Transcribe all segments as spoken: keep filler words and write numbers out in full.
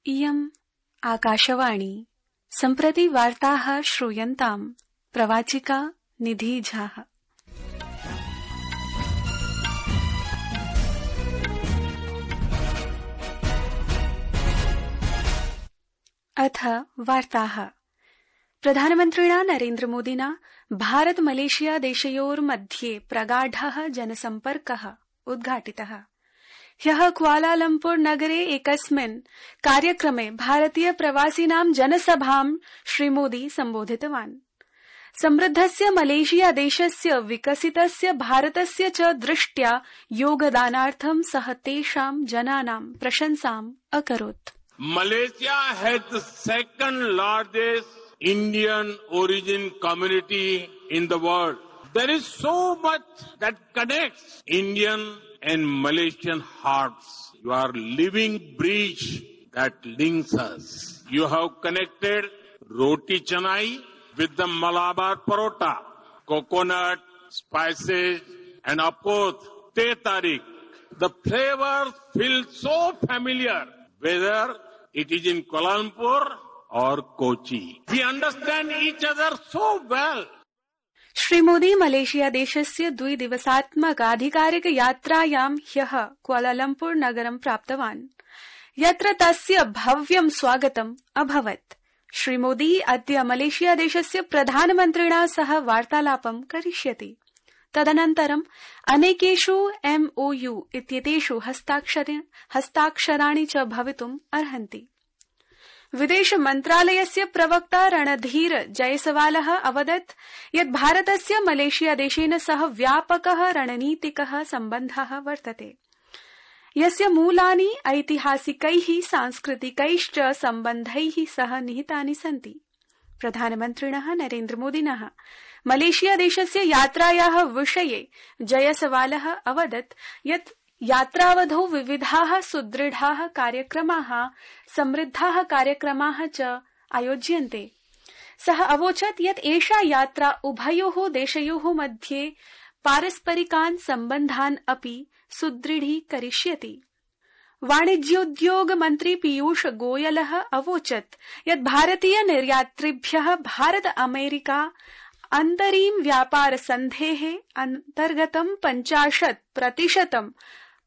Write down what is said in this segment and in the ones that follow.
इयम् आकाशवाणी सम्प्रति वार्ताः श्रूयन्ताम् प्रवाचिका निधि झा। अथ वार्ताः। प्रधानमन्त्रिणा नरेन्द्रमोदिना भारत मलेशिया देशयोर्मध्ये प्रगाढः जनसम्पर्कः उद्घाटितः। ह्यः कुआलालम्पुर नगरे एकस्मिन् कार्यक्रमे भारतीय प्रवासिनां जनसभां श्रीमोदी सम्बोधितवान्। समृद्धस्य मलेशिया देशस्य विकसितस्य भारतस्य च दृष्ट्या योगदानार्थं सः तेषां जनानां प्रशंसाम् अकरोत्। Malaysia has the second largest Indian origin community in the world. There is so much that connects Indian and Malaysian hearts. You are living bridge that links us. You have connected roti canai with the Malabar parota, coconut, spices, and of course, teh tarik. The flavors feel so familiar, whether it is in Kuala Lumpur or Kochi. We understand each other so well. Shri Modi Malaysia देशस्य द्विदिवसात्मकाधिकारिक यात्रायां ह्यः Kuala Lumpur नगरं प्राप्तवान्, यत्र तस्य भव्यं स्वागतम् अभवत्। श्रीमोदी अद्य मलेशिया देशस्य प्रधानमन्त्रिणा सह वार्तालापं करिष्यति। तदनन्तरं अनेकेषु एमओयू इत्येतेषु हस्ताक्षराणि च भवितुम् अर्हन्ति। विदेश मन्त्रालयस्य प्रवक्ता रणधीर जयसवालः अवदत् यत् भारतस्य मलेशिया देशेन सह व्यापकः रणनीतिकः सम्बन्धः वर्तते, यस्य मूलानि ऐतिहासिकैः सांस्कृतिकैश्च सम्बन्धैः सह निहितानि सन्ति। प्रधानमन्त्रिणः नरेन्द्रमोदिनः मलेशिया देशस्य यात्रायाः विषये जयसवालः अवदत् यत् यात्रावधौ विविधाः सुदृढाः कार्यक्रमाः समृद्धाः कार्यक्रमाः च आयोज्यन्ते। सः अवोचत् यत् एषा यात्रा उभयोः देशयोः मध्ये पारस्परिकान् सम्बन्धान् अपि सुदृढीकरिष्यति। वाणिज्योद्योग मन्त्री पीयूष गोयलः अवोचत् यत् भारतीय निर्यातृभ्यः भारत अमेरिका अन्तरीम व्यापार सन्धेः अन्तर्गतं पञ्चाशत् प्रतिशतं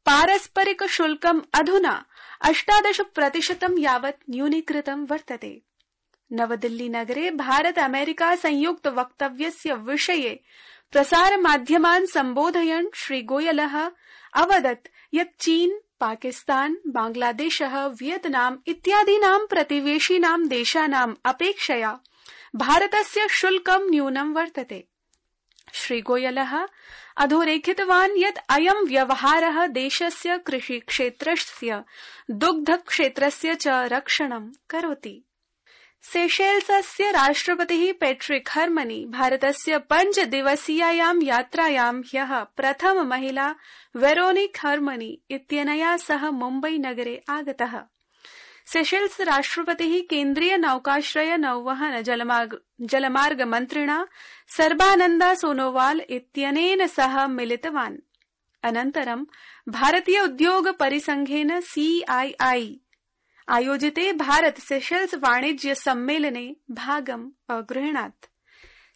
पारस्परिक शुल्कम् अधुना अष्टादश प्रतिशतं यावत् न्यूनीकृतं वर्तते। नवदिल्ली नगरे भारत अमेरिका संयुक्त वक्तव्यस्य विषये प्रसार माध्यमान् सम्बोधयन् श्री गोयलः अवदत् यत् चीन, पाकिस्तान, बांग्लादेशः, वियतनाम इत्यादीनां प्रतिवेशिनां देशानाम् अपेक्षया भारतस्य शुल्कं न्यूनं वर्तते। श्री गोयलः अधोरेखितवान् यत् अयं व्यवहारः देशस्य कृषिक्षेत्रस्य, दुग्धक्षेत्रस्य च रक्षणं करोति। सेशेल्सस्य राष्ट्रपतिः पैट्रिक हर्मनी भारतस्य पञ्चदिवसीयायां यात्रायां ह्यः प्रथम महिला वेरोनिक हर्मनी इत्यनया सह मुम्बई नगरे आगतः। सेशेल्स राष्ट्रपतिः केन्द्रीय नौकाश्रय नौवहन जलमार्ग, जलमार्ग मन्त्रिणा सर्बानन्दा सोनोवाल इत्यनेन सह मिलितवान्। अनन्तरं भारतीय उद्योग परिसंघेन सीआईआई आयोजिते भारत सेशेल्स वाणिज्य सम्मेलने भागम् अगृह्णात्।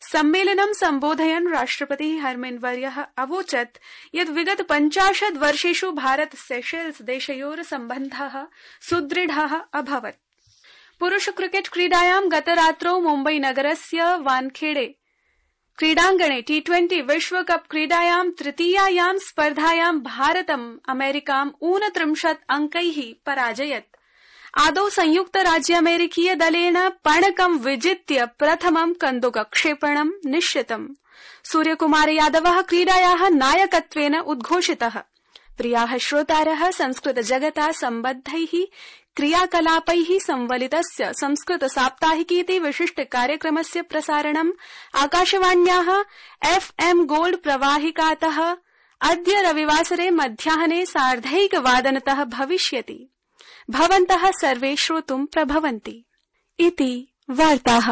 सम्मेलनं सम्बोधयन् राष्ट्रपतिः हर्मन्वर्यः अवोचत् यत् विगत पञ्चाशत् वर्षेषु भारत सेशेल्स देशयोः सम्बन्धः सुदृढः अभवत्। पुरुष क्रिकेट क्रीडायां गतरात्रौ मुम्बई नगरस्य वानखेड़े क्रीडाङ्गणे टी ट्वेंटी विश्वकप क्रीडायां तृतीयायां स्पर्धायां भारतम् अमेरिकाम् ऊनत्रिंशत् अंकैः पराजयत्। आदौ संयुक्त राज्य अमेरिकीय दलेन पणकं विजित्य प्रथमं कन्दुकक्षेपणं निश्चितम्। सूर्यकुमार यादवः क्रीडायाः नायकत्वेन उद्घोषितः। प्रियाः श्रोतारः, संस्कृत जगता सम्बद्धैः क्रियाकलापैः संवलितस्य संस्कृत साप्ताहिकीति विशिष्ट कार्यक्रमस्य प्रसारणम् आकाशवाण्याः एफएम गोल्ड प्रवाहिकातः अद्य रविवासरे मध्याह्ने सार्धैकवादनतः भविष्यति। भवन्तः सर्वे श्रोतुं प्रभवन्ति। इति वार्ताः।